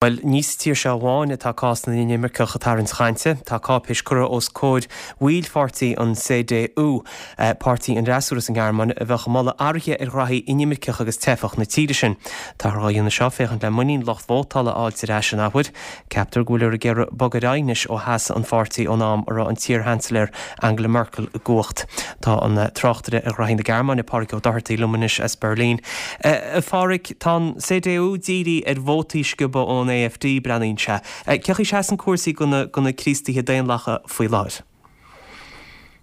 Bhuel, ní sa tír seo amháin atá cás na n-inimirceach ag tarraingt chainte. Tá cáipéis curtha os comhair bhaill pháirtí an CDU, páirtí an fhreasúra sa nGearmáin, a bheadh ag moladh athruithe ar ghraithí inimirceach agus teifeach na tíre sin. Táthar á dhéanamh seo féachaint le muinín lucht vótála a fháilt ar ais an athuair. Ceaptar go bhfuiltear ag iarraidh bogadh ar aghaidh anois ó sheas an pháirtí ón am a raibh an t-iar-Sheansailéir Angela Merkel i gcumhacht. Tá an tráchtaire ar ghraithí na Gearmáine, Pádraig Ó Dochartaigh, liom anois as Berlin. A Phádraig, tá an CDU dírithe ar vótaí a sciobadh ón AfD, breathnaíonn sé. Cén chaoi a seasann cúrsaí do na Críostaithe Daonlathacha faoi láthair?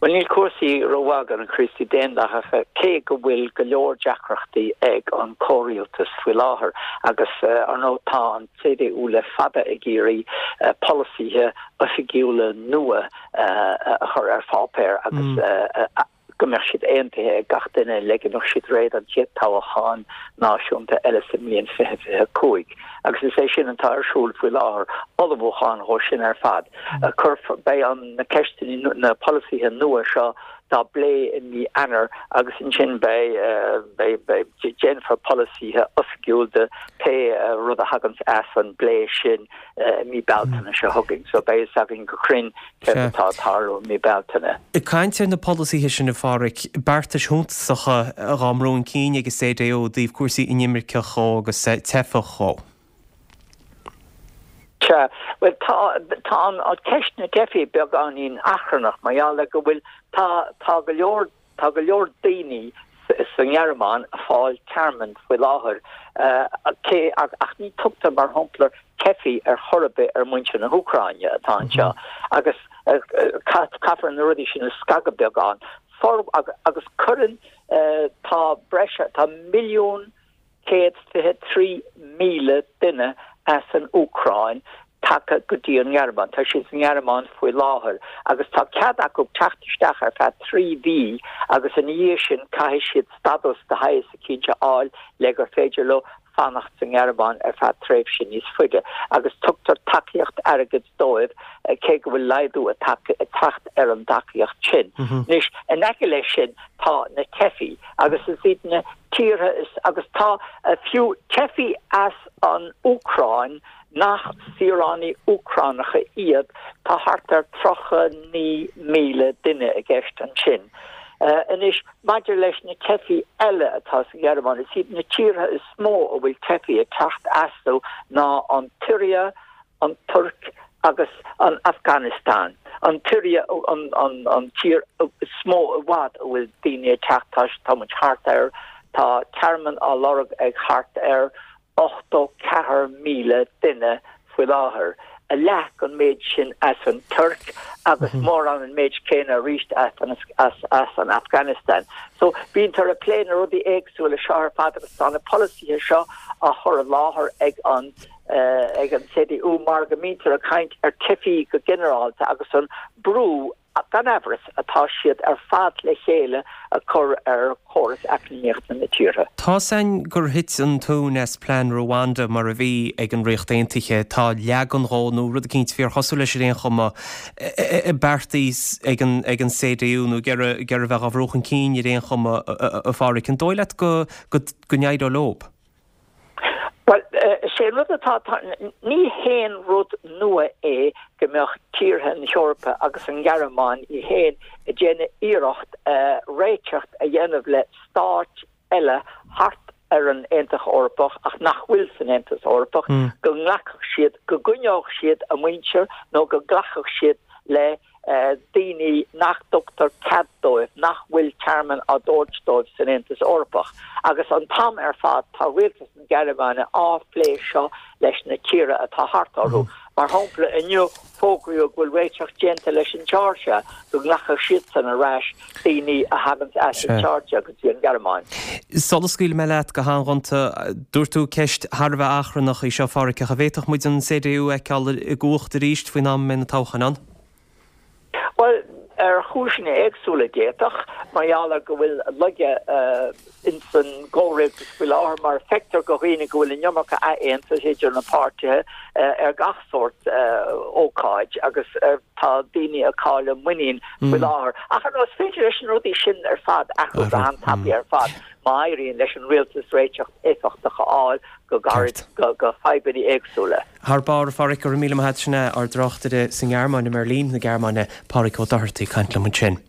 Bhuel, níl cúrsaí rómhaith do na Críostaithe Daonlathacha, cé go bhfuil go leor deacrachtaí ag an comhrialtas faoi láthair. Agus, ar ndóigh, tá an CDU le fada ag iarraidh polasaithe oifigiúla nua a chur ar pháipéar agus go mbeadh siad aontaithe ag gach duine le go mbeadh siad réidh don chéad toghchán náisiúnta eile sa mbliain 2025. Agus is é sin atá ar siúl faoi láthair, ullmhúchán dhó sin ar fad. Cuirfear, beidh an, na ceisteanna, na polasaithe nua seo dá bplé i mí Eanáir agus ansin beidh, beidh, beidh, déanfar polasaithe oifigiúil de pé rud a thaganns as an bplé sin. i mí Bealtaine seo chugainn, so beidh fhios againn go cruinn céard atá ag tarlú i mí Bealtaine. Ag caint ar na polasaithe sin, a Pháraic, beartais shuntasacha dhá mbrú chun cinn ag an CDU i dtaobh cúrsaí inimirceach dhó agus teifeach dhó. Sea, bhuel tá, tá an ceist na dteifigh beagáinín achrannach mar gheall ar go bhfuil, tá, tá go leor Tá go leor daoine sa nGearmáin ag fáil tearmainn faoi láthair, cé ach ní tugtar mar shampla teifigh ar chor ar bith ar muintir na hÚcráine atá anseo agus caithfear na rudaí sin a scagadh beagán. Agus cuireann, tá breis, tá 1,123,000 duine as an Úcráin tagtha go dtí an nGearmáin. Tá siad sa nGearmáin faoi láthair agus tá cead acu teacht isteach ar feadh 3 mhí agus ina dhiaidh sin caithfidh siad stadas de shaghas eicínt a fháil le gur féidir leo fanacht sa nGearmáin ar feadh tréimhse níos faide agus tugtar tacaíocht airgid dóibh cé go bhfuil laghdú ag teacht ar an dtacaíocht sin. Anois, in aice leis sin tá na teifigh agus is iad na tíortha is agus tá fiú teifigh as an Úcráin nach saoránaigh Úcránacha iad, tá thart ar 39,000 duine i gceist ansin. Anois, maidir leis na teifigh eile atá sa Ghearmáin, is iad na tíortha is mó a bhfuil teifigh ag teacht astu ná an tSiria, an Tuirc agus an Afganastáin. An tSiria an tír is mó i bhfad a bhfuil daoine ag teacht, tá muid thart ar, tá tearmann á lorg ag thart ar 84,000 duine faoi láthair, a leath den méid sin as an Tuirc agus mórán an méid céanna arís as an Afganastáin. So bíontar ag plé na rudaí éagsúla seo ar fad agus tá na polasaithe seo á chur i láthair ag an ag an CDU mar go mbítear ag caint ar teifigh go ginearálta agus an brú gan amhras, atá siad ar fad le chéile ag cur ar chóras eacnamaíochta na tíortha. Tá's a'inn gur thit an tóin as plean Rwanda mar a bhí ag an Ríocht Aontaithe. Tá leagan dhó, nó rud eicínt fíorchosúil leis ar aon chuma, beartaithe ag an CDU nó ag iarraidh a bheith á bhrú chun cinn ar aon chuma, a Pháraic. An dóigh leat go n-éireoidh leob? Bhuel, is é an rud atá, ní haon rud nua é go mbeadh tíortha na hEorpa agus an Ghearmáin í féin ag déanamh iarracht réiteach a dhéanamh le stáit eile thart ar an Aontas Eorpach ach nach bhfuil san Aontas Eorpach, go nglacfadh siad, go gcoinneodh siad a muintir nó go nglacfadh siad le daoine nach dtugtar cead dóibh, nach bhfuil tearmann á dtabhairt dóibh san Aontas Eorpach. Agus an t-am ar fad tá rialtas na Gearmáine á phlé seo leis na tíortha atá thart orthu. Mar shampla, inniu fógraíodh go bhfuil réiteach déanta leis an tSeoirsia, go nglacfadh siadsan ar ais daoine a thaganns as an tSeoirsia go dtí an Ghearmáin. Sula scaoilfidh mé leat go han-ghonta, dúirt tú ceist thar a bheith achrannach í seo, a Pháraic, ach an bhféadfadh muid an CDU a fheiceáil i gcumhacht arís faoin am a mbeidh na toghcháin ann? Bhuel, ar chúiseanna éagsúla d'fhéadfadh, mar gheall ar go bhfuil laige ins an gcomhrialtas faoi láthair, mar feictear go dhaoine go bhfuil an iomarca easaontais idir na páirtithe ar gach sórt ócáid agus tá daoine ag cailleadh muinín faoi láthair. Ach ar ndóigh, is féidir leis na rudaí sin ar fad athrú go han-tapaidh ar fad. Má éiríonn leis an rialtas réiteach éifeachtach a fháil go gairid do fadhbanna éagsúla. Thar barr, a Pháraic, go raibh míle maith a't. Sin é ár dtráchtaire sa nGearmáin, i mBeirlín na Gearmáine, Páraic Ó Dochartaigh, ag caint liom ansin.